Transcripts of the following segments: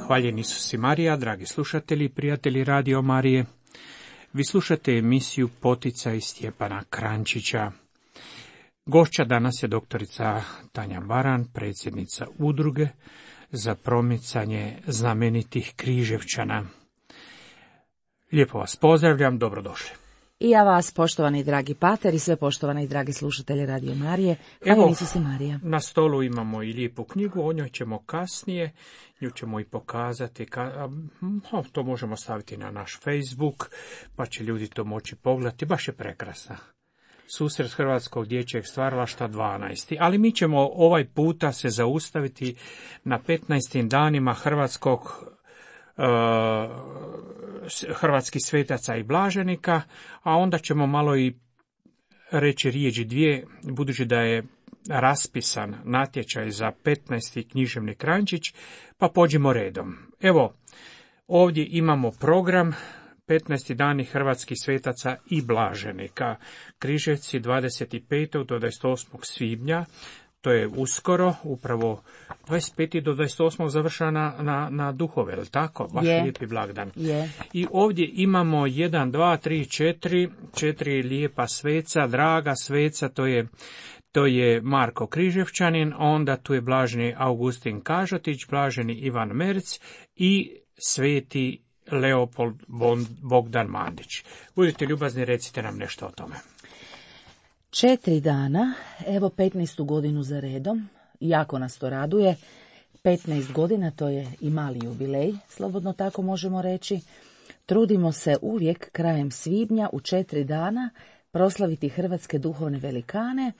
Hvaljen Isus i Marija, dragi slušatelji i prijatelji Radio Marije. Vi slušate emisiju Poticaj Stjepana Kranjčića. Gošća danas je doktorica Tanja Baran, predsjednica udruge za promicanje znamenitih Križevčana. Lijepo vas pozdravljam, dobrodošli. I ja vas, poštovani dragi pater i sve poštovani dragi slušatelji Radio Marije. Hvala Isus i Marija. Na stolu imamo i lijepu knjigu, o njoj ćemo kasnije, nju ćemo i pokazati, to možemo staviti na naš Facebook, pa će ljudi to moći pogledati, baš je prekrasna. Susret Hrvatskog dječjeg stvaralaštva 12. Ali mi ćemo ovaj puta se zaustaviti na 15. danima hrvatskih svetaca i blaženika, a onda ćemo malo i reći riječi dvije, budući da je raspisan natječaj za 15. književni Kranjčić, pa pođimo redom. Evo, ovdje imamo program 15. dani hrvatskih svetaca i blaženika. Križevci 25. do 28. svibnja, to je uskoro, upravo 25. do 28. završena na duhove, je li tako? Baš lijepi blagdan. I ovdje imamo 1, 2, 3, 4 lijepa sveca, draga sveca, to je Marko Križevčanin, onda tu je blaženi Augustin Kažotić, blaženi Ivan Merc i sveti Leopold Bogdan Mandić. Budite ljubazni, recite nam nešto o tome. 4 dana, evo 15. godinu za redom, jako nas to raduje. 15 godina, to je i mali jubilej, slobodno tako možemo reći. Trudimo se uvijek krajem svibnja u 4 dana proslaviti hrvatske duhovne velikane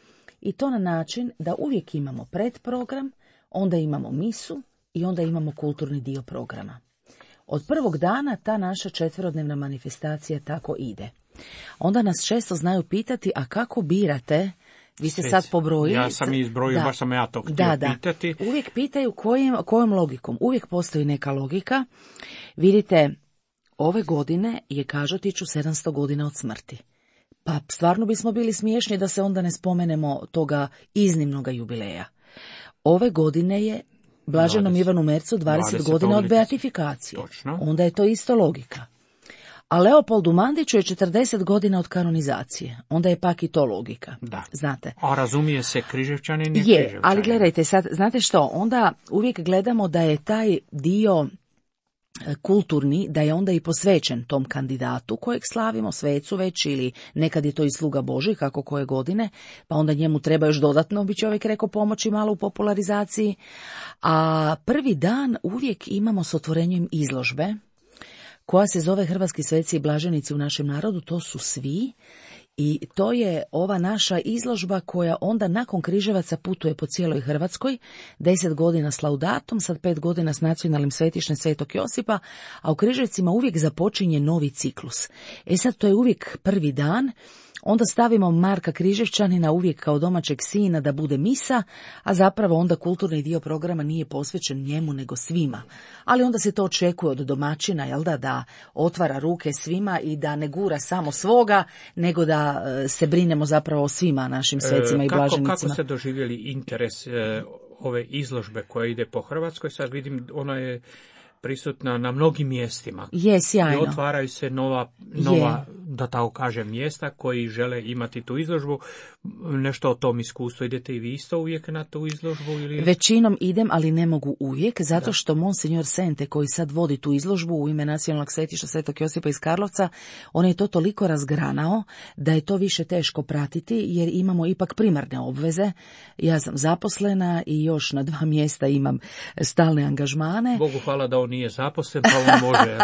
i to na način da uvijek imamo predprogram, onda imamo misu i onda imamo kulturni dio programa. Od prvog dana ta naša 4-dnevna manifestacija tako ide. Onda nas često znaju pitati, a kako birate? Vi ste sad pobrojili. Ja sam izbrojio, baš sam ja to htio pitati. Uvijek pitaju kojom logikom. Uvijek postoji neka logika. Vidite, ove godine je Kažotiću 700 godina od smrti. Pa stvarno bismo bili smiješni da se onda ne spomenemo toga iznimnoga jubileja. Ove godine je blaženom Ivanu Mercu 20 godina od beatifikacije. Točno. Onda je to isto logika. A Leopoldu Mandiću je 40 godina od kanonizacije. Onda je pak i to logika. Da. Znate. A razumije se Križevčanin je Križevčanin. Ali gledajte sad, znate što, onda uvijek gledamo da je taj dio kulturni, da je onda i posvećen tom kandidatu kojeg slavimo, svecu već, ili nekad je to i sluga Božji, kako koje godine, pa onda njemu treba još dodatno, bi čovjek rekao, pomoći malo u popularizaciji. A prvi dan uvijek imamo s otvorenjem izložbe, koja se zove Hrvatski sveci i blaženici u našem narodu, to su svi. I to je ova naša izložba koja onda nakon Križevaca putuje po cijeloj Hrvatskoj, 10 godina s laudatom, sad 5 godina s nacionalnim svetištem Svetog Josipa, a u Križevcima uvijek započinje novi ciklus. Sad to je uvijek prvi dan, onda stavimo Marka Križevčanina uvijek kao domaćeg sina da bude misa, a zapravo onda kulturni dio programa nije posvećen njemu nego svima. Ali onda se to očekuje od domaćina, jel da otvara ruke svima i da ne gura samo svoga, nego da se brinemo zapravo o svima našim svecima i blaženicima. Kako ste doživjeli interes ove izložbe koja ide po Hrvatskoj? Sad vidim, ona je prisutna na mnogim mjestima. Je, sjajno. I otvaraju se nova da tako kažem, mjesta koji žele imati tu izložbu. Nešto o tom iskustvu. Idete i vi isto uvijek na tu izložbu? Ili? Većinom idem, ali ne mogu uvijek, zato što Monsignor Sente, koji sad vodi tu izložbu u ime nacionalnog svetišta Svetog Josipa iz Karlovca, on je to toliko razgranao da je to više teško pratiti, jer imamo ipak primarne obveze. Ja sam zaposlena i još na 2 mjesta imam stalne angažmane. Bogu hvala da on nije zaposlen, pa on može.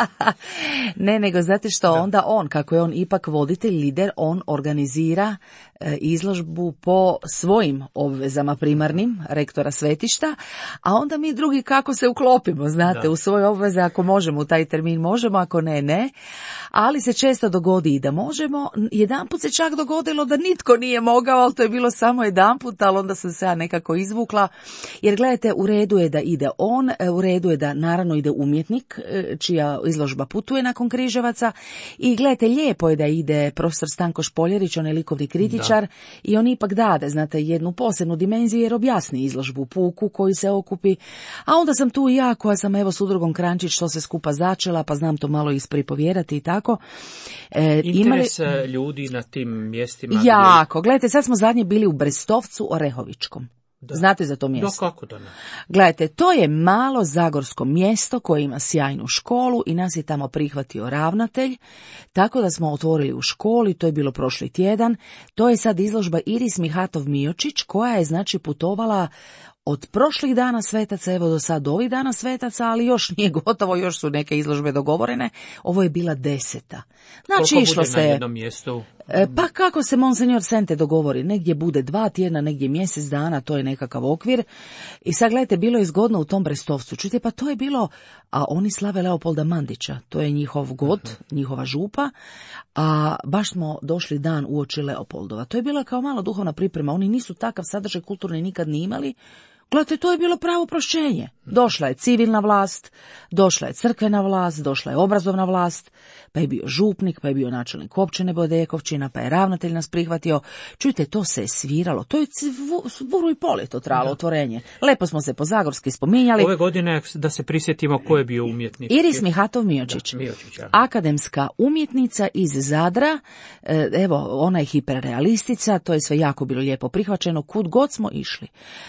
Ne, nego znate što, onda on, kako je on ipak voditelj, lider, on organizira izložbu po svojim obvezama primarnim, rektora svetišta, a onda mi drugi kako se uklopimo, znate, u svoje obveze, ako možemo u taj termin možemo, ako ne, ne. Ali se često dogodi i da možemo. Jedanput se čak dogodilo da nitko nije mogao, ali to je bilo samo jedanput, ali onda sam se ja nekako izvukla, jer gledajte, u redu je da ide on, u redu je da naravno ide umjetnik čija izložba putuje nakon Križevaca i gledajte, lijepo je da ide profesor Stanko Špoljarić, on je likovni kritičar i on ipak dade, znate, jednu posebnu dimenziju jer objasni izložbu puku koji se okupi, a onda sam tu i ja koja sam evo s udrugom Krančić što se skupa začela, pa znam to malo ispripovjerati i tako. Interes ljudi na tim mjestima. Jako, gledajte, sad smo zadnje bili u Brestovcu Orehovičkom. Da. Znate za to mjesto? Da, kako da ne. Gledajte, to je malo zagorsko mjesto koje ima sjajnu školu i nas je tamo prihvatio ravnatelj, tako da smo otvorili u školi, to je bilo prošli tjedan. To je sad izložba Iris Mihatov-Miočić koja je znači putovala od prošlih dana svetaca, evo do sad ovih dana svetaca, ali još nije gotovo, još su neke izložbe dogovorene. Ovo je bila 10. Znači, koliko išlo bude se na jednom mjestu? Pa kako se Monsignor Sente dogovori, negdje bude 2 tjedna, negdje mjesec dana, to je nekakav okvir. I sad gledajte, bilo je zgodno u tom Brestovcu. Čujte, pa to je bilo, a oni slave Leopolda Mandića, to je njihov god, njihova župa, a baš smo došli dan uoči Leopoldova. To je bila kao malo duhovna priprema, oni nisu takav sadržaj kulturni nikad ni imali. Gledajte, to je bilo pravo prošćenje. Došla je civilna vlast, došla je crkvena vlast, došla je obrazovna vlast, pa je bio župnik, pa je bio načelnik općine Bodekovčina, pa je ravnatelj nas prihvatio. Čujte, to se je sviralo, to je vuru i pol je to trajalo otvorenje. Lepo smo se po zagorski spominjali. Ove godine, da se prisjetimo ko je bio umjetnik. Iris Mihatov-Miočić, akademska umjetnica iz Zadra, evo, ona je hiperrealistica, to je sve jako bilo lijepo prihvaćeno, kud god smo išli.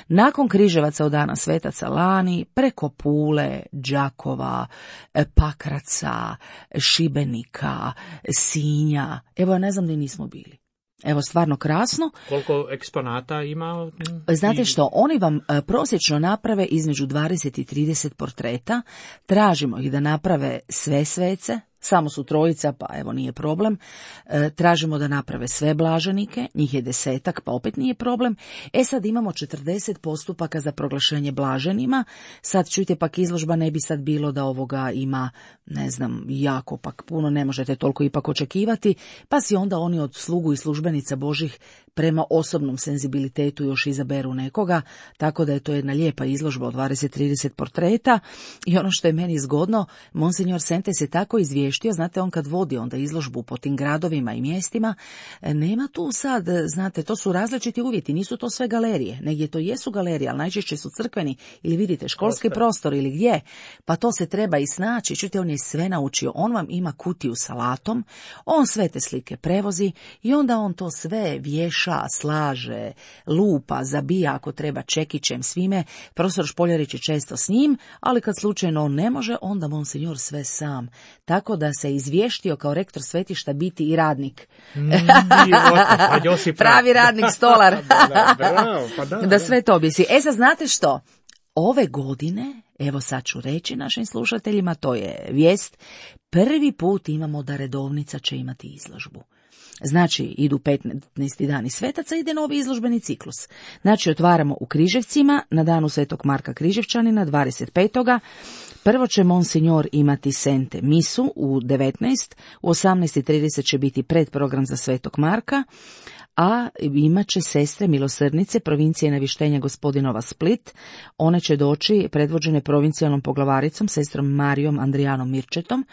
Nakon Križevaca od dana svetaca lani, preko Pule, Đakova, Pakraca, Šibenika, Sinja, evo ja ne znam gdje nismo bili. Evo, stvarno krasno. Koliko eksponata ima? Znate što, oni vam prosječno naprave između 20 i 30 portreta, tražimo ih da naprave sve svece, samo su trojica, pa evo nije problem. Tražimo da naprave sve blaženike, njih je 10, pa opet nije problem. Sad imamo 40 postupaka za proglašenje blaženima. Sad čujte, pak izložba ne bi sad bilo da ovoga ima, ne znam, jako pak puno, ne možete toliko ipak očekivati, pa si onda oni od slugu i službenica Božih prema osobnom senzibilitetu još izaberu nekoga, tako da je to jedna lijepa izložba od 20-30 portreta. I ono što je meni zgodno, Monsignor Sente se tako izvještio, znate, on kad vodi onda izložbu po tim gradovima i mjestima, nema tu sad, znate, to su različiti uvjeti, nisu to sve galerije, negdje to jesu galerije, ali najčešće su crkveni ili vidite školski prostor ili gdje, pa to se treba i snaći. Čujte, on je sve naučio, on vam ima kutiju sa alatom, on sve te slike prevozi i onda on to sve vješa, slaže, lupa, zabija ako treba čekićem, svime. Profesor Špoljarić je često s njim, ali kad slučajno on ne može, onda Monsignor sve sam. Tako da se izvještio kao rektor svetišta biti i radnik. Pravi radnik, stolar. Da sve to objesi. Sad znate što? Ove godine, evo sad ću reći našim slušateljima, to je vijest, prvi put imamo da redovnica će imati izložbu. Znači, idu 15. dani svetaca, ide novi izložbeni ciklus. Znači, otvaramo u Križevcima na danu Svetog Marka Križevčanina 25. Prvo će Monsignor imati Sente misu u 19, u 18:30 će biti predprogram za Svetog Marka, a imat će sestre milosrdnice provincije Navištenja Gospodinova Split. One će doći predvođene provincijalnom poglavaricom, sestrom Marijom Andrijanom Mirčetom,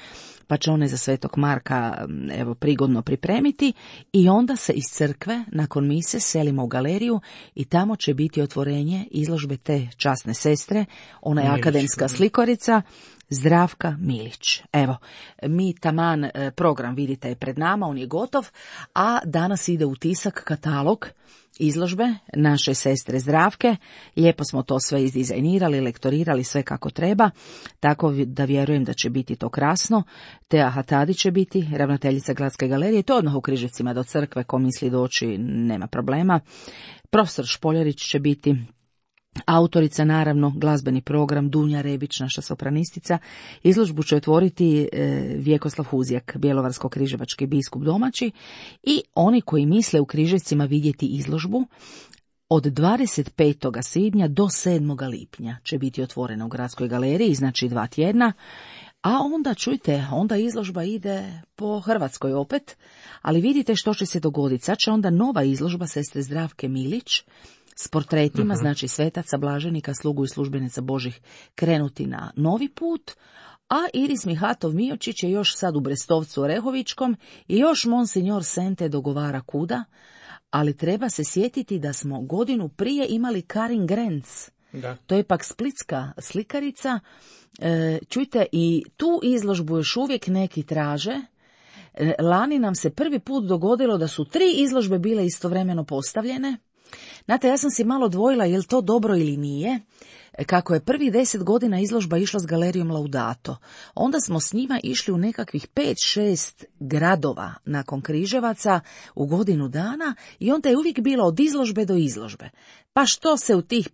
pa će one za Svetog Marka evo prigodno pripremiti i onda se iz crkve nakon mise selimo u galeriju i tamo će biti otvorenje izložbe te časne sestre, ona je akademska slikorica Zdravka Milić. Evo, mi taman program vidite je pred nama, on je gotov, a danas ide u tisak katalog izložbe naše sestre Zdravke. Lijepo smo to sve izdizajnirali, lektorirali sve kako treba, tako da vjerujem da će biti to krasno. Tea Hatadi će biti ravnateljica Gradske galerije, to odmah u Križevcima do crkve, ko misli doći nema problema. Profesor Špoljarić će biti autorica, naravno, glazbeni program, Dunja Rebić, naša sopranistica. Izložbu će otvoriti Vjekoslav Huzjak, bjelovarsko-križevački biskup domaći, i oni koji misle u Križevcima vidjeti izložbu, od 25. svibnja do 7. lipnja će biti otvorena u Gradskoj galeriji, znači 2 tjedna, a onda, čujte, onda izložba ide po Hrvatskoj opet, ali vidite što će se dogoditi. Sad će onda nova izložba sestre Zdravke Milić s portretima, znači svetaca, blaženika, slugu i službenica Božih krenuti na novi put, a Iris Mihatov Miočić je još sad u Brestovcu Orehovičkom i još Monsignor Sente dogovara kuda, ali treba se sjetiti da smo godinu prije imali Karin Grenz. Da. To je pak splitska slikarica. Čujte, i tu izložbu još uvijek neki traže. Lani nam se prvi put dogodilo da su 3 izložbe bile istovremeno postavljene. Znate, ja sam si malo dvojila je li to dobro ili nije. Kako je prvih 10 godina izložba išla s galerijom Laudato, onda smo s njima išli u nekakvih 5-6 gradova nakon Križevaca u godinu dana i onda je uvijek bilo od izložbe do izložbe. Pa što se u tih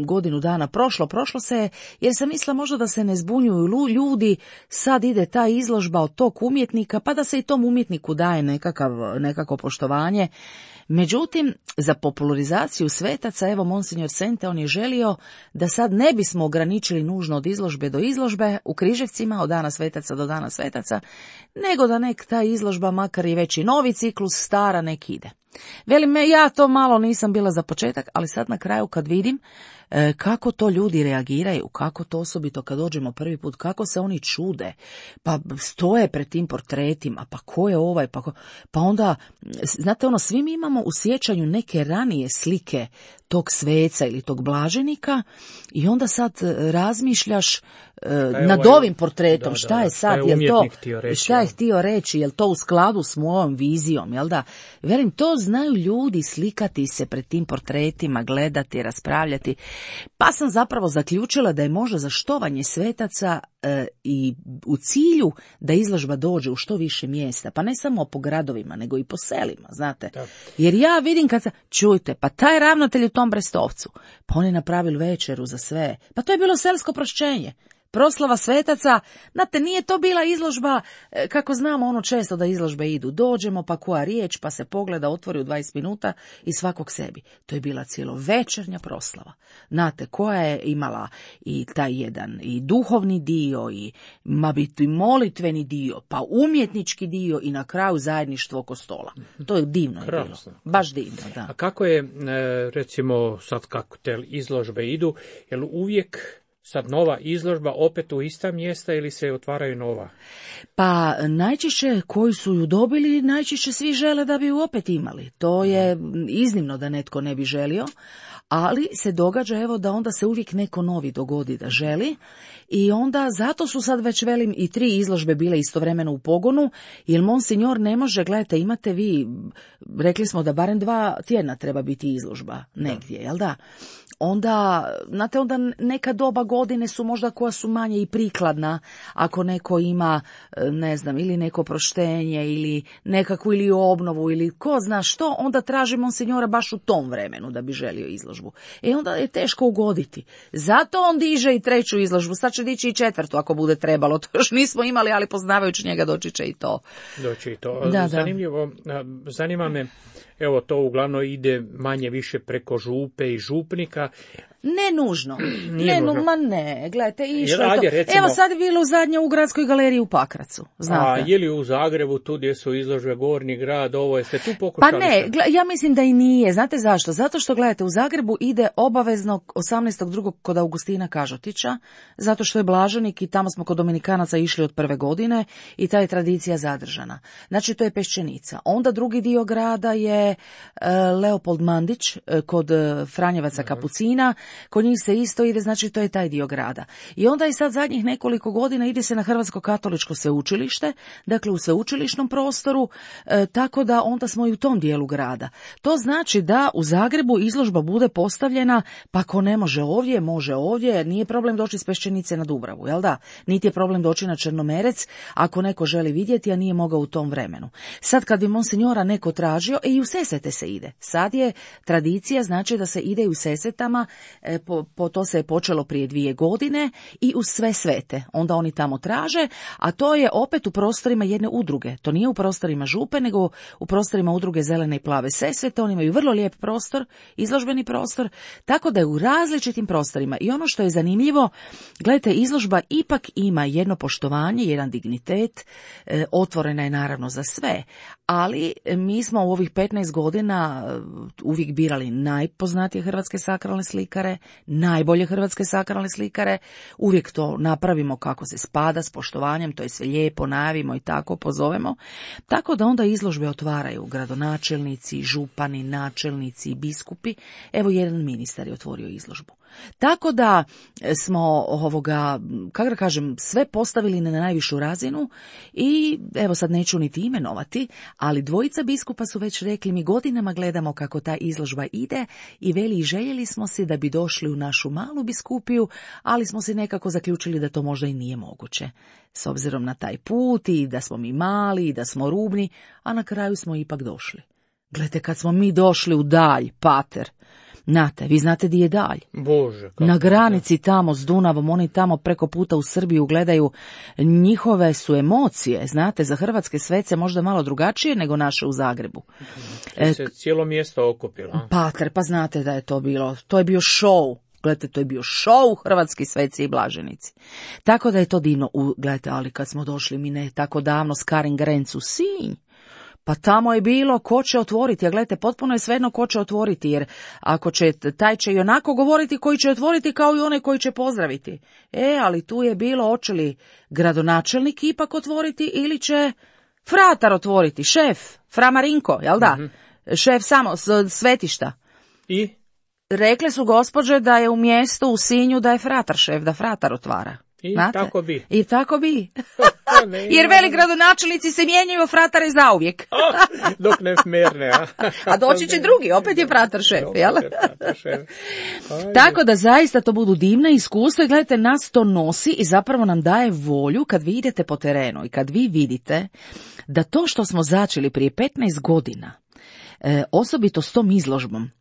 godinu dana prošlo se, jer sam mislila možda da se ne zbunjuju ljudi, sad ide ta izložba od tog umjetnika, pa da se i tom umjetniku daje nekako poštovanje. Međutim, za popularizaciju svetaca, evo Monsignor Sente, on je želio da sad ne bismo ograničili nužno od izložbe do izložbe u Križevcima, od dana svetaca do dana svetaca, nego da nek ta izložba, makar i već i novi ciklus, stara, nek ide. Velim, ja to malo nisam bila za početak, ali sad na kraju kad vidim kako to ljudi reagiraju, kako to osobito kad dođemo prvi put, kako se oni čude, pa stoje pred tim portretima, pa ko je ovaj, pa onda, znate svi mi imamo u sjećanju neke ranije slike tog sveca ili tog blaženika i onda sad razmišljaš nad ovim portretom, šta je sad, šta je htio reći, je li to u skladu s mojom vizijom, jel da? Velim, to znaju ljudi slikati se pred tim portretima, gledati, raspravljati, pa sam zapravo zaključila da je možda za štovanje svetaca i u cilju da izložba dođe u što više mjesta, pa ne samo po gradovima, nego i po selima, znate. Da. Jer ja vidim čujte, pa taj ravnatelj u tom Brestovcu, pa on je napravili večeru za sve, pa to je bilo selsko prošćenje. Proslava svetaca, znate, nije to bila izložba, kako znamo često da izložbe idu, dođemo pa koja riječ, pa se pogleda, otvori u 20 minuta i svakog sebi. To je bila cjelovečernja proslava. Znate, koja je imala i taj jedan i duhovni dio, i molitveni dio, pa umjetnički dio i na kraju zajedništvo oko stola. To je divno je bilo. Baš divno, da. A kako je, recimo, sad kako te izložbe idu, jel uvijek sad nova izložba opet u ista mjesta ili se otvaraju nova? Pa najčešće koji su ju dobili, najčešće svi žele da bi ju opet imali. To je iznimno da netko ne bi želio, ali se događa evo da onda se uvijek neko novi dogodi da želi i onda zato su sad već velim i 3 izložbe bile istovremeno u pogonu, jer Monsignor ne može, gledajte, imate vi, rekli smo da barem 2 tjedna treba biti izložba negdje, jel da? Onda, znate, onda neka doba godine su možda koja su manje i prikladna, ako neko ima, ne znam, ili neko proštenje, ili nekakvu ili obnovu, ili ko zna što, onda traži Monsignora baš u tom vremenu da bi želio izložbu. Onda je teško ugoditi. Zato on diže i 3. izložbu, sad će dići i 4. ako bude trebalo, to još nismo imali, ali poznavajući njega doći će i to. Doći i to. Zanimljivo, zanima me, evo to uglavnom ide manje više preko župe i župnika. Ne nužno. Ma ne, gledajte, išlo je to. Recimo, evo sad je bilo zadnje u Gradskoj galeriji u Pakracu, znate. A je li u Zagrebu, tu gdje su izložbe Gornji grad, ovo jeste tu pokušali? Pa ne, ja mislim da i nije. Znate zašto? Zato što, gledajte, u Zagrebu ide obavezno 18.2. kod Augustina Kažotića, zato što je blaženik i tamo smo kod Dominikanaca išli od prve godine i ta je tradicija zadržana. Znači, to je Peščenica. Onda drugi dio grada je Leopold Mandić kod Franjevaca Kapucina. Kod njih se isto ide, znači to je taj dio grada. I onda i sad zadnjih nekoliko godina ide se na Hrvatsko katoličko sveučilište, dakle u sveučilišnom prostoru, tako da onda smo i u tom dijelu grada. To znači da u Zagrebu izložba bude postavljena, pa ko ne može ovdje, može ovdje, nije problem doći s Peščenice na Dubravu, jel da? Niti je problem doći na Črnomerec, ako neko želi vidjeti, a nije mogao u tom vremenu. Sad kad bi Monsignora neko tražio, i u Sesvete se ide. Sad je tradicija, znači da se ide i u Sesvetama, to se je počelo prije 2 godine i u Sve svete. Onda oni tamo traže, a to je opet u prostorima jedne udruge. To nije u prostorima župe, nego u prostorima udruge Zelene i plave Sesvete. Oni imaju vrlo lijep prostor, izložbeni prostor, tako da je u različitim prostorima. I ono što je zanimljivo, gledajte, izložba ipak ima jedno poštovanje, jedan dignitet, otvorena je naravno za sve, ali mi smo u ovih 15 15 godina uvijek birali najpoznatije hrvatske sakralne slikare, najbolje hrvatske sakralne slikare, uvijek to napravimo kako se spada, s poštovanjem, to je sve lijepo, najavimo i tako pozovemo. Tako da onda izložbe otvaraju gradonačelnici, župani, načelnici, biskupi. Evo, jedan ministar je otvorio izložbu. Tako da smo kako da kažem, sve postavili na najvišu razinu i evo sad neću niti imenovati, ali dvojica biskupa su već rekli, mi godinama gledamo kako ta izložba ide i veli, željeli smo si da bi došli u našu malu biskupiju, ali smo si nekako zaključili da to možda i nije moguće. S obzirom na taj put i da smo mi mali i da smo rubni, a na kraju smo ipak došli. Gledajte, kad smo mi došli u Dalj, pater, znate, vi znate di je Dalj? Bože, na granici tamo s Dunavom, oni tamo preko puta u Srbiju gledaju, njihove su emocije, znate, za hrvatske svece možda malo drugačije nego naše u Zagrebu. Se cijelo mjesto okupilo. Pater, pa znate da je to bilo, to je bio show. Gledajte, to je bio show hrvatski sveci i blaženici. Tako da je to divno. Gledajte, ali kad smo došli mi ne tako davno s Karin Grenc u Sinj, pa tamo je bilo ko će otvoriti, a gledajte, potpuno je svejedno ko će otvoriti, jer ako će, taj će i onako govoriti koji će otvoriti kao i onaj koji će pozdraviti. Ali tu je bilo, hoće li gradonačelnik ipak otvoriti ili će fratar otvoriti, šef, Fra Marinko, jel da? Mm-hmm. Šef samo, svetišta. I? Rekle su gospođe da je u mjestu u Sinju da je fratar šef, da fratar otvara. I znate? Tako bi. I tako bi. Jer veli gradonačelnici se mijenjaju, fratare zauvijek. Dok ne smerne, a? A doći će drugi, opet je fratar šef, jel? Tako da zaista to budu divna iskustva i gledajte, nas to nosi i zapravo nam daje volju kad vi idete po terenu i kad vi vidite da to što smo začeli prije 15 godina, osobito s tom izložbom,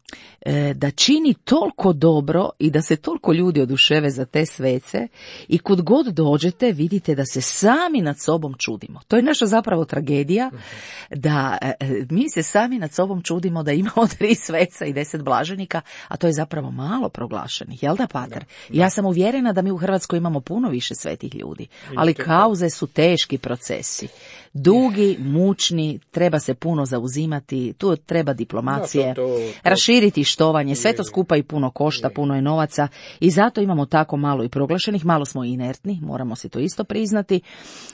da čini toliko dobro i da se toliko ljudi oduševe za te svece i kud god dođete vidite da se sami nad sobom čudimo. To je naša zapravo tragedija, da mi se sami nad sobom čudimo da imamo 3 sveca i 10 blaženika, a to je zapravo malo proglašenih, jel da, pater? Da. Ja sam uvjerena da mi u Hrvatskoj imamo puno više svetih ljudi, ali kauze su teški procesi. Dugi, mučni, treba se puno zauzimati, tu treba diplomacije, raširiti štovanje, sve to skupa i puno košta, puno je novaca i zato imamo tako malo i proglašenih, malo smo inertni, moramo si to isto priznati,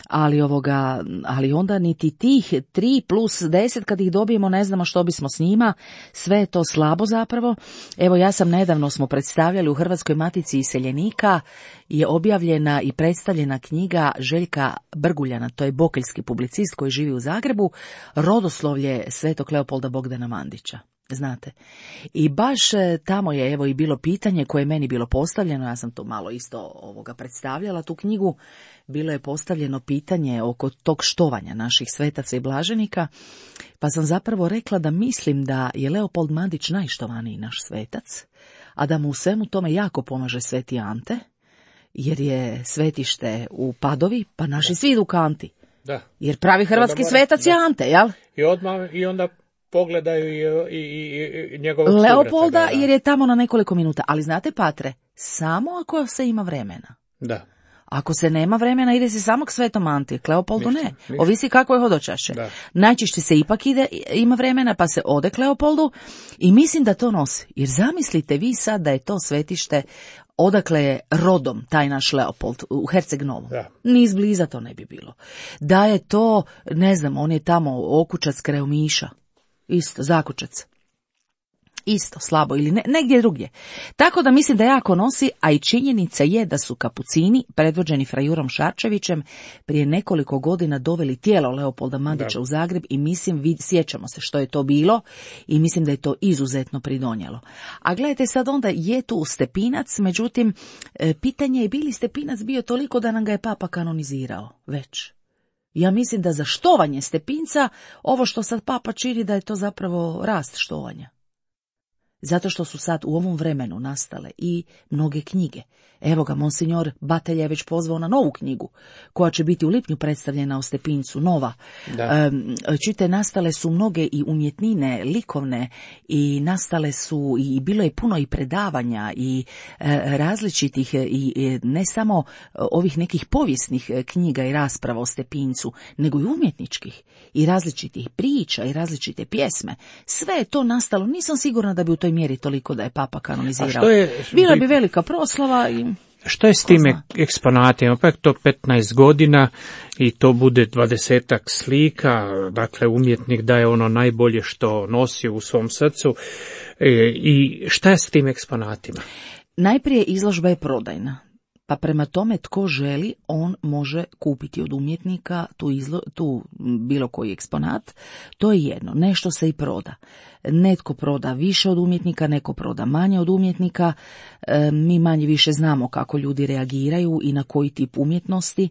ali onda niti tih 3 plus 10 kad ih dobijemo ne znamo što bismo s njima, sve je to slabo zapravo. Evo, ja sam nedavno smo predstavljali u Hrvatskoj matici iseljenika, je objavljena i predstavljena knjiga Željka Brguljana, to je bokeljski publicist koji živi u Zagrebu, Rodoslovlje Svetog Leopolda Bogdana Mandića. Znate. I baš tamo je evo i bilo pitanje koje je meni bilo postavljeno, ja sam to malo isto predstavljala, tu knjigu, bilo je postavljeno pitanje oko tog štovanja naših svetaca i blaženika, pa sam zapravo rekla da mislim da je Leopold Mandić najštovaniji naš svetac, a da mu u svemu tome jako pomaže Sveti Ante, jer je svetište u Padovi, pa naši svi idu ka Anti. Da. Jer pravi hrvatski svetac je Ante, jel? I onda pogledaju i njegovog Leopolda, sugraca, jer je tamo na nekoliko minuta. Ali znate, patre, samo ako se ima vremena. Da. Ako se nema vremena, ide se samo k Svetom Anti, k Leopoldu ne. Ovisi kako je hodočaše. Da. Najčešće se ipak ima vremena, pa se ode k Leopoldu i mislim da to nosi. Jer zamislite vi sad da je to svetište odakle je rodom taj naš Leopold u Herceg Novom. Da. Ni izbliza to ne bi bilo. Da je to, ne znam, on je tamo Okučac kraj Omiša. Isto, Zakučac. Isto, slabo ili negdje drugdje. Tako da mislim da jako nosi, a i činjenica je da su kapucini, predvođeni Frajurom Šarčevićem, prije nekoliko godina doveli tijelo Leopolda Mandića u Zagreb i mislim, sjećamo se što je to bilo i mislim da je to izuzetno pridonijelo. A gledajte sad onda, je tu Stepinac, međutim, pitanje je bi li Stepinac bio toliko da nam ga je Papa kanonizirao već. Ja mislim da za štovanje Stepinca, ovo što sad Papa čini da je to zapravo rast štovanja. Zato što su sad u ovom vremenu nastale i mnoge knjige. Evo ga, monsignor Batelja je već pozvao na novu knjigu, koja će biti u lipnju predstavljena u Stepincu, nova. Čite, nastale su mnoge i umjetnine, likovne, i nastale su, i bilo je puno i predavanja, i različitih, i ne samo ovih nekih povijesnih knjiga i rasprava o Stepincu, nego i umjetničkih, i različitih priča, i različite pjesme. Sve je to nastalo, nisam sigurna da bi u toj mjeri toliko da je Papa kanonizirao. Bila bi velika proslava i... Što je s tim eksponatima? Pa je to 15 godina i to bude 20-ak slika, dakle umjetnik daje ono najbolje što nosi u svom srcu. I šta je s tim eksponatima? Najprije izložba je prodajna. Pa prema tome tko želi, on može kupiti od umjetnika tu bilo koji eksponat. To je jedno, nešto se i proda. Netko proda više od umjetnika, neko proda manje od umjetnika. Mi manje više znamo kako ljudi reagiraju i na koji tip umjetnosti.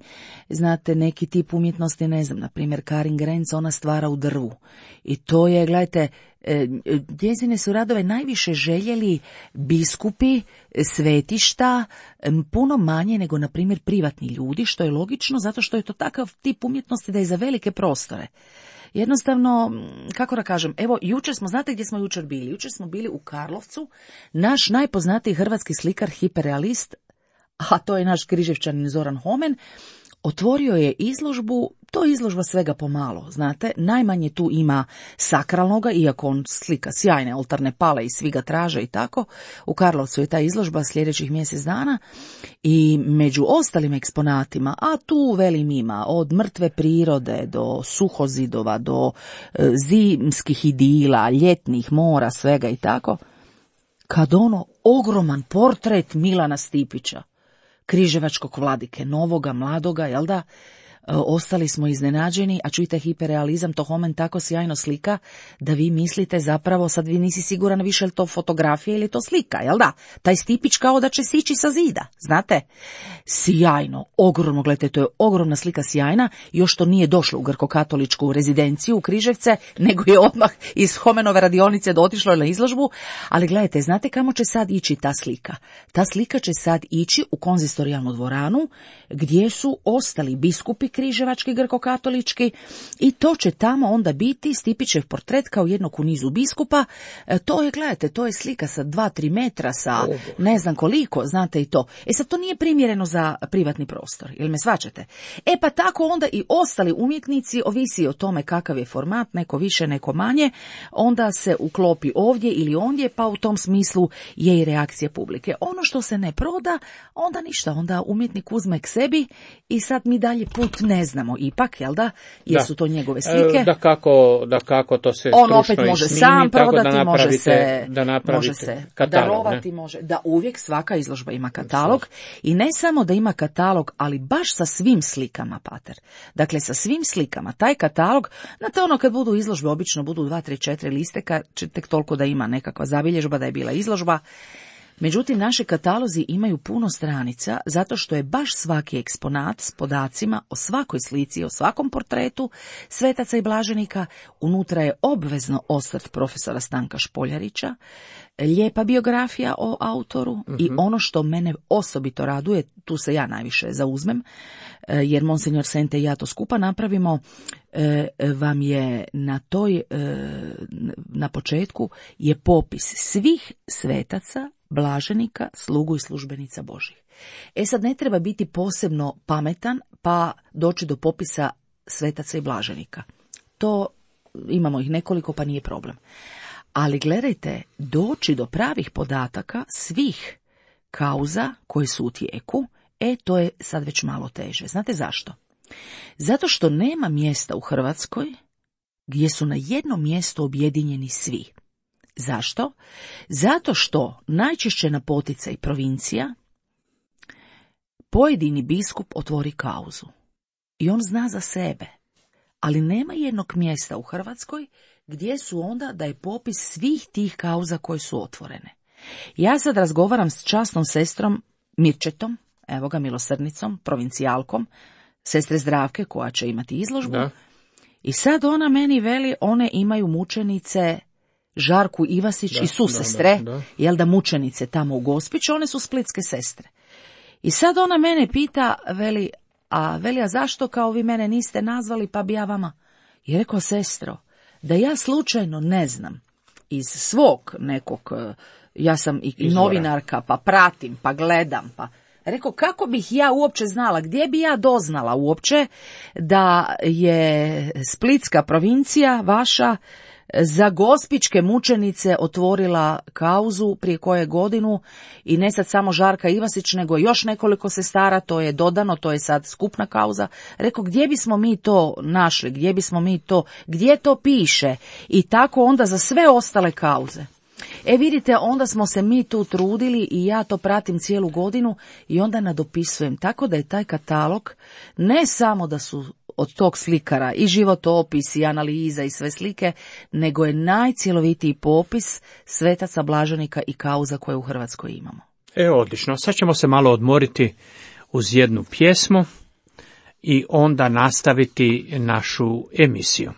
Znate, neki tip umjetnosti, ne znam, na primjer Karin Grenz, ona stvara u drvu. I to je, gledajte, njezine su radove najviše željeli biskupi, svetišta, puno manje nego, na primjer, privatni ljudi, što je logično, zato što je to takav tip umjetnosti da je za velike prostore. Jednostavno, kako da kažem, evo, jučer smo, znate gdje smo jučer bili? Jučer smo bili u Karlovcu, naš najpoznatiji hrvatski slikar, hiperrealist, a to je naš Križevčanin Zoran Homen, otvorio je izložbu, to je izložba svega pomalo, znate, najmanje tu ima sakralnoga, iako on slika sjajne oltarne pale i svi ga traže i tako. U Karlovcu je ta izložba sljedećih mjesec dana i među ostalim eksponatima, a tu velim ima od mrtve prirode do suhozidova, do zimskih idila, ljetnih mora, svega i tako, kad ono ogroman portret Milana Stipića, križevačkog vladike, novoga, mladoga, jel da? Ostali smo iznenađeni, a čujte, hiperrealizam to Homen tako sjajno slika da vi mislite zapravo, sad vi nisi siguran više je to fotografija ili je to slika, jel da? Taj Stipić kao da će sići sa zida, znate? Sjajno, ogromno, gledajte, to je ogromna slika, sjajna, još to nije došlo u grkokatoličku rezidenciju u Križevce, nego je odmah iz Homenove radionice otišlo na izložbu, ali gledajte, znate kamo će sad ići ta slika? Ta slika će sad ići u konzistorijalnu dvoranu, gdje su ostali biskupi križevački, grkokatolički, i to će tamo onda biti Stipićev portret kao jednog u nizu biskupa. To je, gledajte, to je slika sa 2-3 metra, sa ne znam koliko, znate i to. Sad to nije primjereno za privatni prostor, jel me svačate? Pa tako onda i ostali umjetnici, ovisi o tome kakav je format, neko više, neko manje, onda se uklopi ovdje ili ondje, pa u tom smislu je i reakcija publike. Ono što se ne proda, onda ništa, onda umjetnik uzme k sebi i sad mi dalje put ne znamo ipak, jel da? Jesu to njegove slike? Da kako to se on opet može snimi, sam prodati, da može se katalog, darovati, može. Da, uvijek svaka izložba ima katalog i ne samo da ima katalog, ali baš sa svim slikama, pater. Dakle, sa svim slikama. Taj katalog, znate ono kad budu izložbe, obično budu 2, 3, 4 listeka, tek toliko da ima nekakva zabilježba da je bila izložba. Međutim, naši katalozi imaju puno stranica, zato što je baš svaki eksponat s podacima o svakoj slici, o svakom portretu svetaca i blaženika. Unutra je obvezno osvrt profesora Stanka Špoljarića, lijepa biografija o autoru i ono što mene osobito raduje, tu se ja najviše zauzmem, jer monsignor Sente i ja to skupa napravimo, vam je na početku je popis svih svetaca, blaženika, slugu i službenica Božih. Sad ne treba biti posebno pametan pa doći do popisa svetaca i blaženika. To imamo ih nekoliko pa nije problem. Ali gledajte, doći do pravih podataka svih kauza koje su u tijeku, to je sad već malo teže. Znate zašto? Zato što nema mjesta u Hrvatskoj gdje su na jednom mjestu objedinjeni svi. Zašto? Zato što najčešće na poticaj provincija pojedini biskup otvori kauzu i on zna za sebe, ali nema jednog mjesta u Hrvatskoj gdje su onda da je popis svih tih kauza koje su otvorene. Ja sad razgovaram s časnom sestrom Mirčetom, evo ga, milosrdnicom, provincijalkom, sestre Zdravke koja će imati izložbu. Da. I sad ona meni veli, one imaju mučenice Žarku Ivasić i susestre, jel da, mučenice tamo u Gospiću, one su splitske sestre. I sad ona mene pita, veli, a zašto kao vi mene niste nazvali, pa bi ja vama? I rekao, sestro, da ja slučajno ne znam iz svog nekog, ja sam i novinarka, pa pratim, pa gledam, pa rekao, kako bih ja uopće znala, gdje bi ja doznala uopće da je Splitska provincija vaša za gospićke mučenice otvorila kauzu prije koje godinu i ne sad samo Žarka Ivasić, nego još nekoliko sestara, to je dodano, to je sad skupna kauza. Rekao, gdje bismo mi to našli, gdje to piše i tako onda za sve ostale kauze. Vidite, onda smo se mi tu trudili i ja to pratim cijelu godinu i onda nadopisujem. Tako da je taj katalog ne samo da su od tog slikara i životopis i analiza i sve slike, nego je najcjelovitiji popis svetaca, blaženika i kauza koje u Hrvatskoj imamo. Odlično. Sad ćemo se malo odmoriti uz jednu pjesmu i onda nastaviti našu emisiju.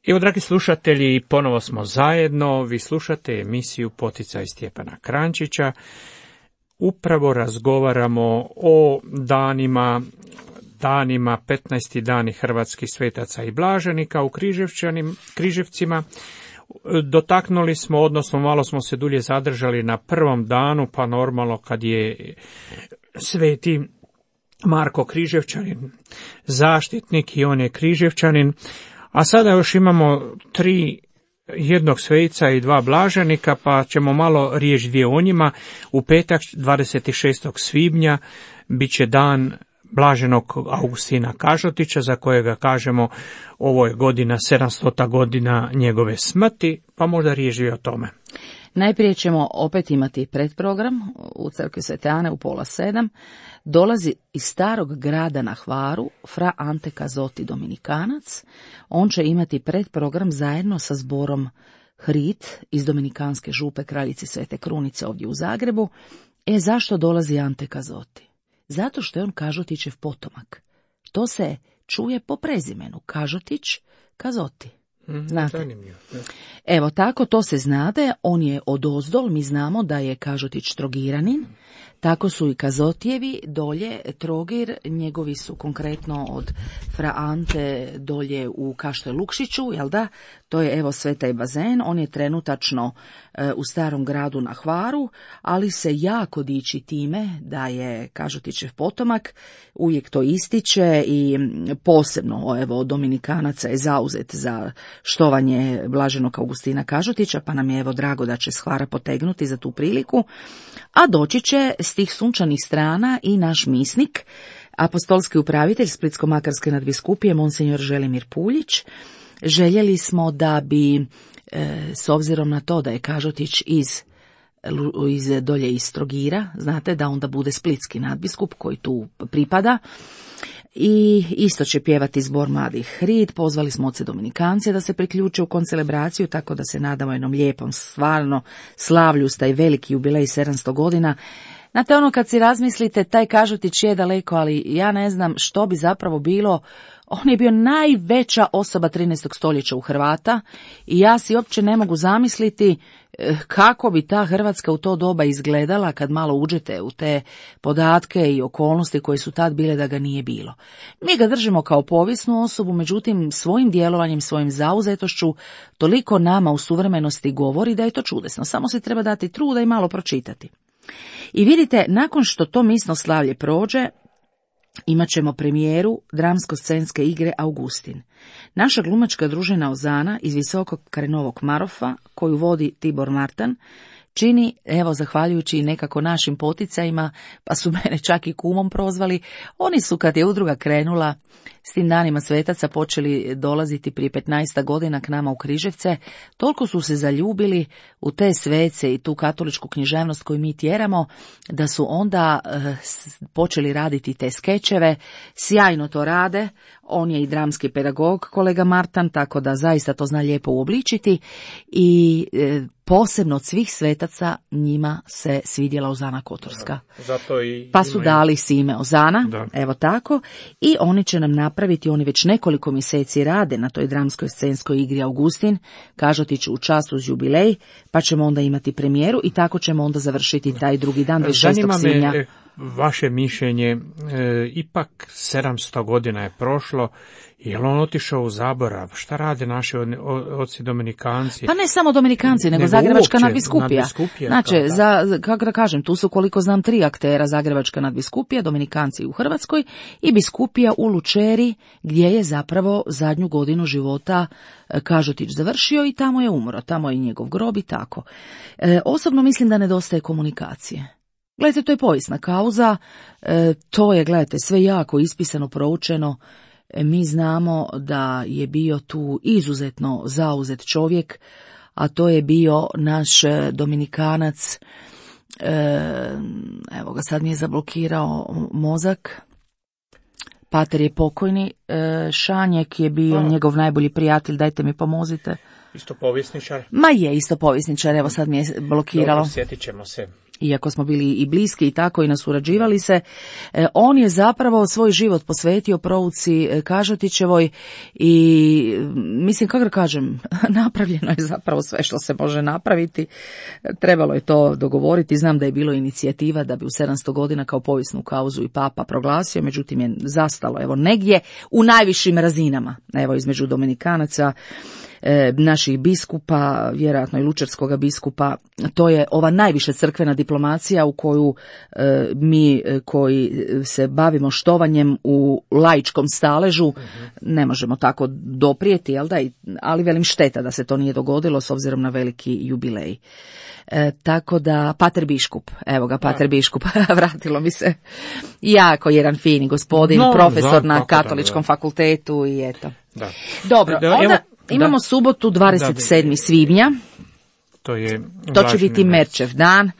Evo, dragi slušatelji, ponovo smo zajedno. Vi slušate emisiju Poticaj Stjepana Kranjčića. upravo razgovaramo o danima 15. dani hrvatskih svetaca i blaženika u Križevcima. Dotaknuli smo, odnosno malo smo se dulje zadržali na prvom danu, pa normalno kad je sveti Marko Križevčanin zaštitnik i on je Križevčanin, a sada još imamo jednog sveca i 2 blaženika, pa ćemo malo riječ dvije o njima. U petak 26. svibnja bit će dan blaženog Augustina Kažotića, za kojega kažemo ovo je godina 700. godina njegove smrti, pa možda riječ dvije o tome. Najprije ćemo opet imati predprogram u crkvi Svete Ane u 6:30. Dolazi iz starog grada na Hvaru fra Ante Kazoti Dominikanac. On će imati predprogram zajedno sa zborom Hrit iz Dominikanske župe Kraljice Svete Krunice ovdje u Zagrebu. Zašto dolazi Ante Kazoti? Zato što je on Kažotićev potomak. To se čuje po prezimenu. Kažotić, Kazoti. Znate? Evo tako, to se znade, on je odozdol, mi znamo da je Kažotić Trogiranin, tako su i Kazotijevi dolje, Trogir, njegovi su konkretno od fra Ante dolje u Kaštoj Lukšiću, jel da? To je evo Svetaj bazen, on je trenutačno u starom gradu na Hvaru, ali se jako diči time da je Kažotićev potomak, uvijek to ističe i posebno evo Dominikanaca je zauzet za štovanje blaženog Augustina Kažotića, pa nam je evo drago da će s Hvara potegnuti za tu priliku, a doći će s tih sunčanih strana i naš misnik, apostolski upravitelj Splitsko-makarske nadbiskupije Monsinjor Želimir Puljić. Željeli smo da bi, s obzirom na to da je Kažotić dolje iz Trogira, znate da onda bude splitski nadbiskup koji tu pripada, i isto će pjevati zbor mladih Hrid. Pozvali smo oce Dominikance da se priključe u koncelebraciju, tako da se nadamo jednom lijepom, stvarno slavlju s taj veliki jubilej 700 godina. Znate, ono kad si razmislite, taj Kažotić je daleko, ali ja ne znam što bi zapravo bilo. On je bio najveća osoba 13. stoljeća u Hrvata i ja si uopće ne mogu zamisliti kako bi ta Hrvatska u to doba izgledala kad malo uđete u te podatke i okolnosti koje su tad bile da ga nije bilo. Mi ga držimo kao povijesnu osobu, međutim svojim djelovanjem, svojim zauzetošću toliko nama u suvremenosti govori da je to čudesno. Samo se treba dati truda i malo pročitati. I vidite, nakon što to misno slavlje prođe, imat ćemo premijeru dramsko-scenske igre Augustin. Naša glumačka družina Ozana iz Visokog Krenovog Marofa, koju vodi Tibor Martan, čini, evo zahvaljujući i nekako našim poticajima, pa su mene čak i kumom prozvali, oni su kad je udruga krenula s tim danima svetaca počeli dolaziti prije 15 godina k nama u Križevce, toliko su se zaljubili u te svece i tu katoličku književnost koju mi tjeramo, da su onda počeli raditi te skečeve, sjajno to rade, on je i dramski pedagog, kolega Martan, tako da zaista to zna lijepo uobličiti i posebno od svih svetaca njima se svidjela Ozana Kotorska. Zato i pa su dali si ime Ozana, da. Evo tako, i oni će nam napraviti, oni već nekoliko mjeseci rade na toj dramskoj scenskoj igri Augustin, Kažotić u čast uz jubilej, pa ćemo onda imati premijeru i tako ćemo onda završiti taj drugi dan 26. svibnja. Vaše mišljenje, ipak 700 godina je prošlo, je li on otišao u zaborav? Šta rade naši oci Dominikanci? Pa ne samo Dominikanci, nego Zagrebačka nadbiskupija. Znači, kako da kažem, tu su koliko znam 3 aktera, Zagrebačka nadbiskupija, Dominikanci u Hrvatskoj i biskupija u Lučeri, gdje je zapravo zadnju godinu života Kažotić završio i tamo je umro, tamo je njegov grob i tako. Osobno mislim da nedostaje komunikacije. Gledajte, to je povijesna kauza, to je, gledajte, sve jako ispisano, proučeno. Mi znamo da je bio tu izuzetno zauzet čovjek, a to je bio naš Dominikanac, evo ga sad mi je zablokirao mozak, pater je pokojni, Šanjek je bio njegov najbolji prijatelj, dajte mi pomozite. Isto povjesničar? Ma je, isto povjesničar, evo sad mi je blokiralo. Dobro, sjetit ćemo se. iako smo bili i bliski i tako i nasurađivali se, on je zapravo svoj život posvetio prouci Kažetićevoj i mislim, kako da kažem, napravljeno je zapravo sve što se može napraviti. Trebalo je to dogovoriti. Znam da je bilo inicijativa da bi u 700 godina kao povijesnu kauzu i papa proglasio, međutim je zastalo evo negdje u najvišim razinama, evo između Dominikanaca, naših biskupa, vjerojatno i lučerskoga biskupa. To je ova najviša crkvena diplomacija u koju mi koji se bavimo štovanjem u laičkom staležu ne možemo tako doprijeti, jel da? Ali velim, šteta da se to nije dogodilo s obzirom na veliki jubilej. Tako da, pater biškup, evo ga, pater biškup, vratilo mi se, jako jedan fini gospodin, profesor na katoličkom fakultetu i eto. Da. Dobro, onda imamo subotu 27. svibnja, to će biti Merčev dan.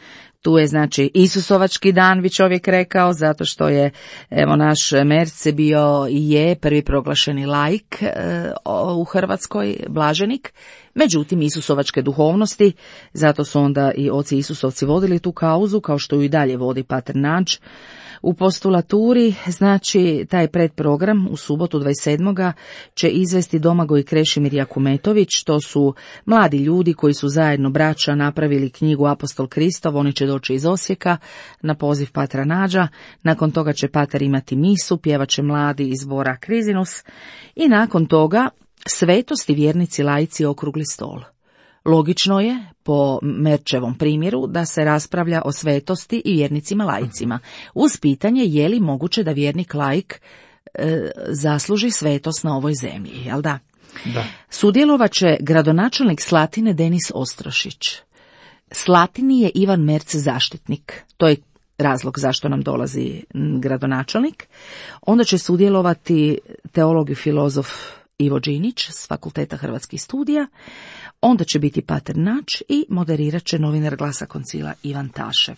Tu je znači Isusovački dan, bi čovjek rekao, zato što je evo naš Merce bio i je prvi proglašeni laik u Hrvatskoj, blaženik. Međutim, Isusovačke duhovnosti, zato su onda i oci Isusovci vodili tu kauzu, kao što ju i dalje vodi pater Nađ. U postulaturi, znači, taj predprogram u subotu 27. će izvesti Domagoj Krešimir Jakumetović. To su mladi ljudi koji su zajedno braća napravili knjigu Apostol Kristov. Oni će doći iz Osijeka na poziv patra Nađa. Nakon toga će pater imati misu, pjevat će mladi iz zbora Krizinus i nakon toga svetosti, vjernici, laici, okrugli stol. Logično je, po Merčevom primjeru, da se raspravlja o svetosti i vjernicima laicima, uz pitanje je li moguće da vjernik laik zasluži svetost na ovoj zemlji, jel da? Da. Sudjelovat će gradonačelnik Slatine Denis Ostrošić. Slatini je Ivan Merce zaštitnik, to je razlog zašto nam dolazi gradonačelnik. Onda će sudjelovati teolog i filozof Ivo Đinić s Fakulteta Hrvatskih studija. Onda će biti pater Nač i moderirat će novinar Glasa koncila Ivan Tašev.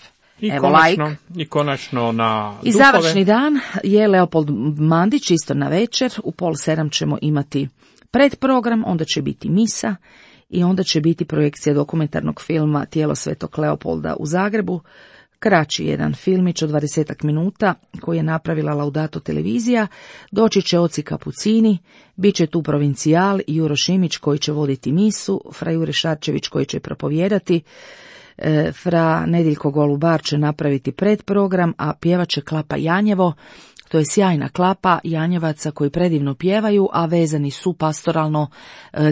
I konačno na i završni dan je Leopold Mandić, isto na večer. U 6:30 ćemo imati predprogram, onda će biti misa i onda će biti projekcija dokumentarnog filma Tijelo svetog Leopolda u Zagrebu. Kraći jedan filmić od 20 minuta koji je napravila Laudato televizija. Doći će oci kapucini, bit će tu provincijal Juro Šimić koji će voditi misu, fra Jure Šarčević koji će propovijedati, fra Nediljko Golubar će napraviti predprogram, a pjevat će Klapa Janjevo. To je sjajna klapa Janjevaca koji predivno pjevaju, a vezani su pastoralno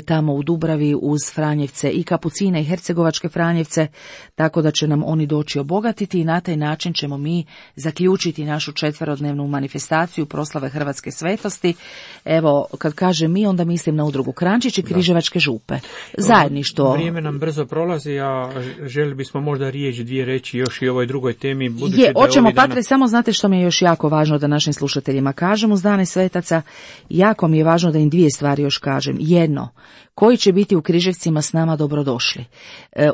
tamo u Dubravi uz Franjevce i Kapucine i Hercegovačke Franjevce, tako da će nam oni doći obogatiti i na taj način ćemo mi zaključiti našu 4-dnevnu manifestaciju proslave Hrvatske svetosti. Evo, kad kažem mi, onda mislim na udrugu Krančić i Križevačke župe. Zajedništvo. Vrijeme nam brzo prolazi, a želi bismo možda dvije reći još i o ovoj drugoj temi. Hoćemo, Patre, samo znate što mi je još jako važno da našim slušateljima kažem uz dane svetaca, jako mi je važno da im 2 stvari još kažem. Jedno, koji će biti u Križevcima s nama dobrodošli.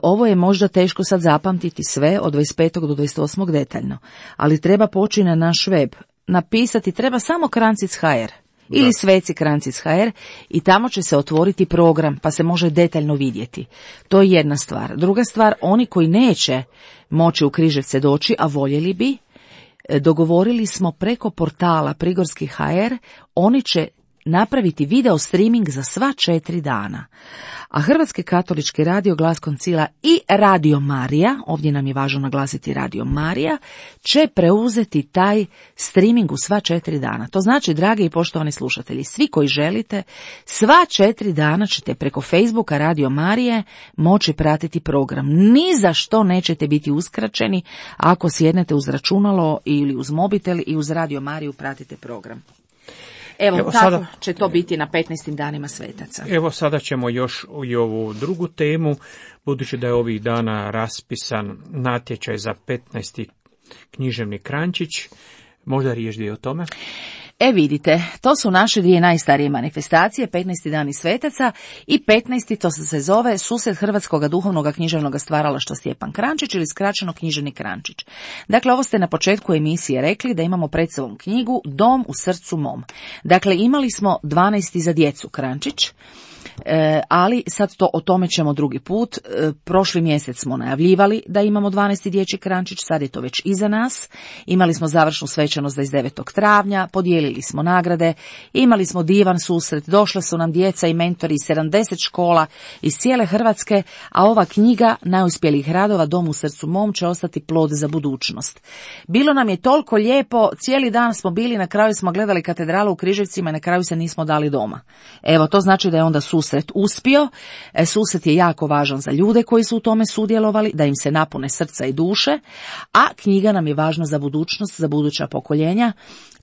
Ovo je možda teško sad zapamtiti sve od 25. do 28. detaljno, ali treba poći na naš web, napisati treba samo Krancic.hr ili Sveci Krancic.hr i tamo će se otvoriti program pa se može detaljno vidjeti. To je jedna stvar. Druga stvar, oni koji neće moći u Križevce doći, a voljeli bi, dogovorili smo preko portala Prigorski.hr, oni će napraviti video streaming za sva 4 dana. A Hrvatski katolički radio, Glas koncila i Radio Marija, ovdje nam je važno naglasiti Radio Marija, će preuzeti taj streaming u sva 4 dana. To znači, dragi i poštovani slušatelji, svi koji želite, sva 4 dana ćete preko Facebooka Radio Marije moći pratiti program. Ni za što nećete biti uskraćeni ako sjednete uz računalo ili uz mobitel i uz Radio Mariju pratite program. Evo tako sada će to biti na 15. danima svetaca. Evo sada ćemo još i ovu drugu temu, budući da je ovih dana raspisan natječaj za 15. književni Krančić. Možda riječ o tome? Vidite, to su naše 2 najstarije manifestacije, 15. dani svetaca i 15. to se zove Susret Hrvatskog duhovnog književnog stvaralaštva Stjepan Krančić ili skraćeno Književni Krančić. Dakle, ovo ste na početku emisije rekli da imamo pred sobom knjigu Dom u srcu mom. Dakle, imali smo 12. za djecu Krančić, Ali sad o tome ćemo drugi put. Prošli mjesec smo najavljivali da imamo 12. dječji krančić, sad je to već iza nas. Imali smo završnu svečanost 29. travnja, podijelili smo nagrade, imali smo divan susret, došle su nam djeca i mentori iz 70 škola iz cijele Hrvatske, a ova knjiga najuspjelijih radova Dom u srcu mom će ostati plod za budućnost. Bilo nam je toliko lijepo, cijeli dan smo bili, na kraju smo gledali katedralu u Križevcima i na kraju se nismo dali doma. Evo, to znači da je onda susret uspio. Susret je jako važan za ljude koji su u tome sudjelovali, da im se napune srca i duše, a knjiga nam je važna za budućnost, za buduća pokoljenja,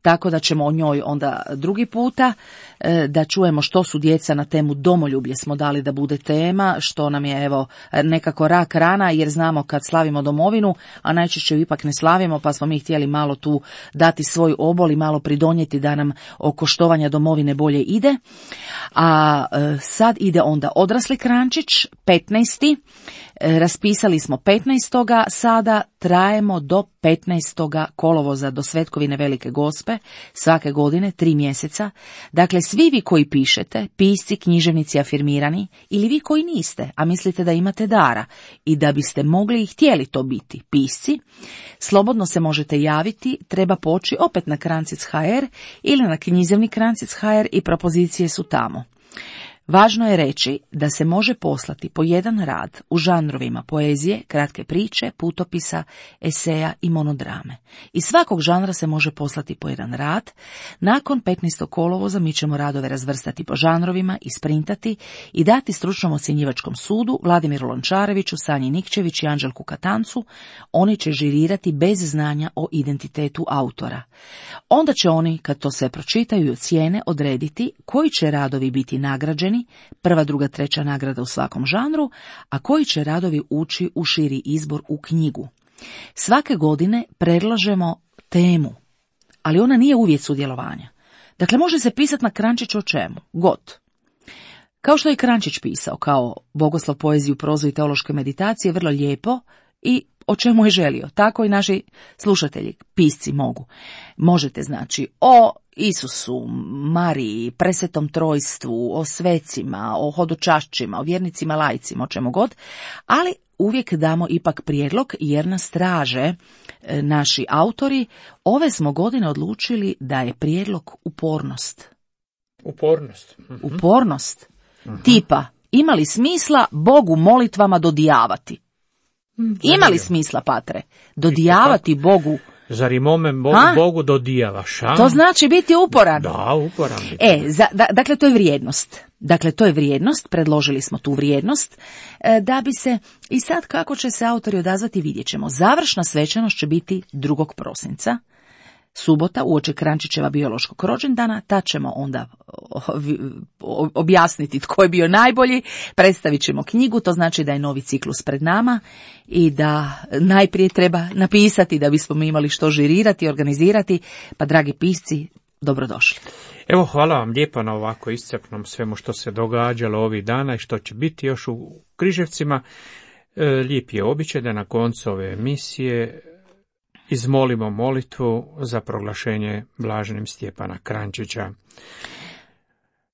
tako da ćemo o njoj onda drugi puta, da čujemo što su djeca na temu domoljublje smo dali da bude tema, što nam je evo nekako rak rana, jer znamo kad slavimo domovinu, a najčešće ipak ne slavimo, pa smo mi htjeli malo tu dati svoj obol i malo pridonijeti da nam oko štovanja domovine bolje ide. A sad ide onda odrasli krančić, 15. Raspisali smo 15. sada trajemo do 15. kolovoza, do Svetkovine Velike Gospe, svake godine 3 mjeseca. Dakle, svi vi koji pišete, pisci, književnici afirmirani, ili vi koji niste, a mislite da imate dara i da biste mogli i htjeli to biti pisci, slobodno se možete javiti, treba poći opet na Krancic.hr ili na književni Krancic.hr i propozicije su tamo. Važno je reći da se može poslati po jedan rad u žanrovima poezije, kratke priče, putopisa, eseja i monodrame. Iz svakog žanra se može poslati po jedan rad. Nakon 15. kolovoza mi ćemo radove razvrstati po žanrovima, isprintati i dati stručnom ocjenjivačkom sudu Vladimiru Lončareviću, Sanji Nikčević i Anđelku Katancu. Oni će žirirati bez znanja o identitetu autora. Onda će oni, kad to sve pročitaju i ocijene, odrediti koji će radovi biti nagrađeni, prva, druga, treća nagrada u svakom žanru, a koji će radovi ući u širi izbor u knjigu. Svake godine predlažemo temu, ali ona nije uvjet sudjelovanja. Dakle, može se pisati na krančić o čemu god. Kao što je Krančić pisao, kao bogoslov, poeziju, prozu i teološke meditacije, vrlo lijepo i o čemu je želio. Tako i naši slušatelji, pisci mogu. Možete znači o Isusu, Mariji, presvetom trojstvu, o svecima, o hodočašćima, o vjernicima, laicima, o čemu god, ali uvijek damo ipak prijedlog jer nas traže naši autori. Ove smo godine odlučili da je prijedlog upornost. Upornost. Upornost. Tipa, ima li smisla Bogu molitvama dodijavati? Ima li smisla, patre? Dodijavati Bogu? Zar i mome Bogu dodijavaš? To znači biti uporan. Da, uporan. Dakle, to je vrijednost. Predložili smo tu vrijednost, da bi se, i sad kako će se autori odazvati vidjet ćemo. Završna svečanost će biti 2. prosinca, subota, uoči Krančićeva biološkog rođendana. Tad ćemo onda objasniti tko je bio najbolji, predstavit ćemo knjigu, to znači da je novi ciklus pred nama i da najprije treba napisati da bismo mi imali što žirirati, organizirati, pa dragi pisci, dobrodošli. Evo, hvala vam lijepo na ovako iscrpnom svemu što se događalo ovih dana i što će biti još u Križevcima. Lijep je običaj da na koncu ove emisije izmolimo molitvu za proglašenje blaženim Stjepana Krančića.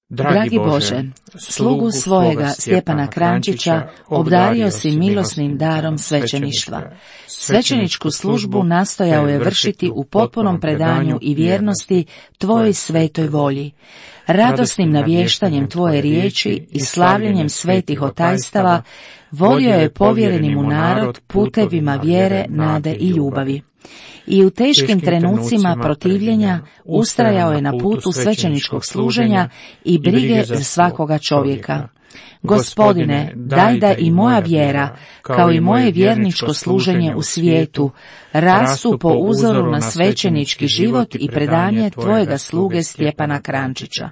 Dragi Bože, slugu svojega Stjepana Krančića obdario si milosnim darom svećeništva. Svećeničku službu nastojao je vršiti u potpunom predanju i vjernosti Tvojoj svetoj volji. Radosnim navještanjem Tvoje riječi i slavljenjem svetih otajstava vodio je povjereni mu narod putevima vjere, nade i ljubavi. I u teškim trenucima protivljenja ustrajao je na putu svećeničkog služenja i brige za svakoga čovjeka. Gospodine, daj da i moja vjera, kao i moje vjerničko služenje u svijetu, rastu po uzoru na svećenički život i predanje Tvojega sluge Stjepana Krančića.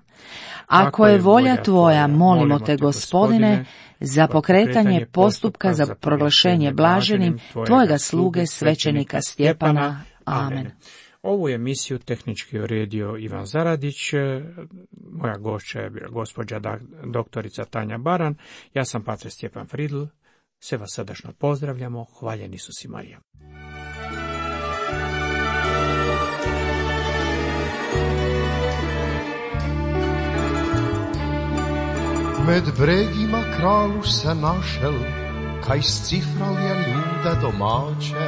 Ako je volja Tvoja, molimo Te, Gospodine, za pokretanje postupka za proglašenje blaženim Tvojega sluge svećenika Stjepana. Amen. Ovu emisiju tehnički uredio Ivan Zaradić, moja gošća je bila gospođa doktorica Tanja Baran, ja sam pater Stjepan Fridl, sve vas srdačno pozdravljamo, hvaljen Isus i Marija. Med bregima kralu se našel, kaj scifral je ljude domače.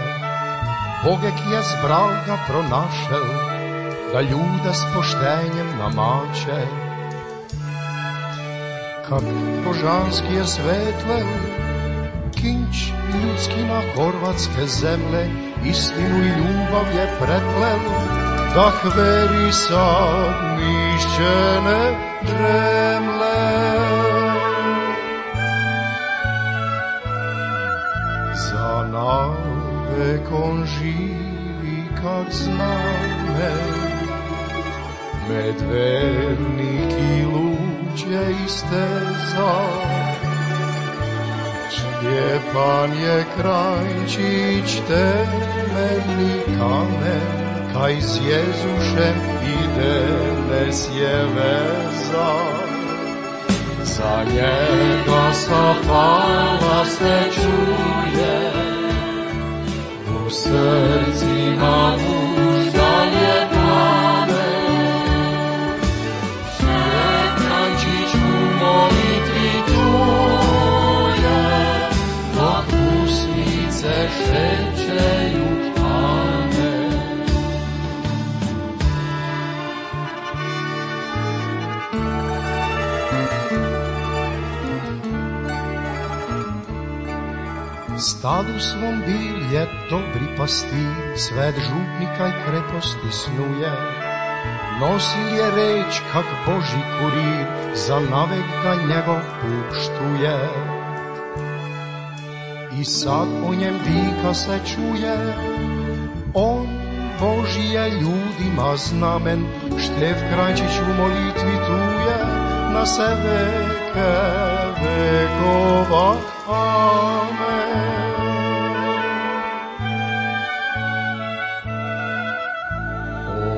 Bogek je zbral ga pronašel, da ljude s poštenjem namače. Kak božanski je svetlel, kinč ljudski na horvatske zemlje, istinu i ljubav je preplel, da hveri sad mišćene žemle. Za navek on živi kak zname, med vernik i luđe i steza. Stjepan je Kranjčić temeljni kamen, kaj s Jezušem ide nes je veza. Za njega sa fala se čuje, u srcima muždanje plane. Kranjčić u molitvi truje, dok usnice šećeju amen. Stadu svom bil je dobri pastir, svet župnika i kreposti snuje. Nosil je reč kak Boži kurir, za navek ga njegov puštuje. I sad o njem vika se čuje, on Boži je ljudima znamen, Štef Kranjčić u molitvi tuje, na se veke vekova amen.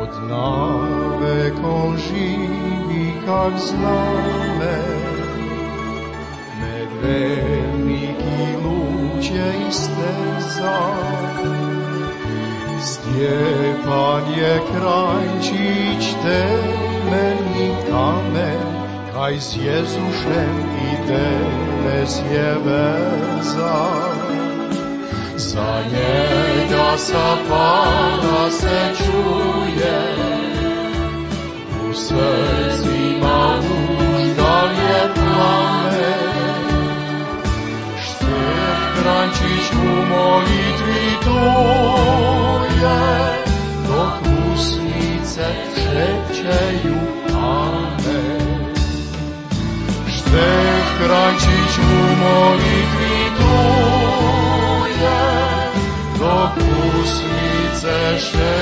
Od navek on živi kak znamen, med vernik i luđe i steza. Stjepan je Kranjčić temeljni kamen, kaj s Jezušem ide nes je veza. Za njega sa fala se čuje, u srcima uždanje plamen. Štef Kranjčić u molitvi tuje, dok usnice šećeju amen. Štef Kranjčić u molitvi tuje, dok usnice šećeju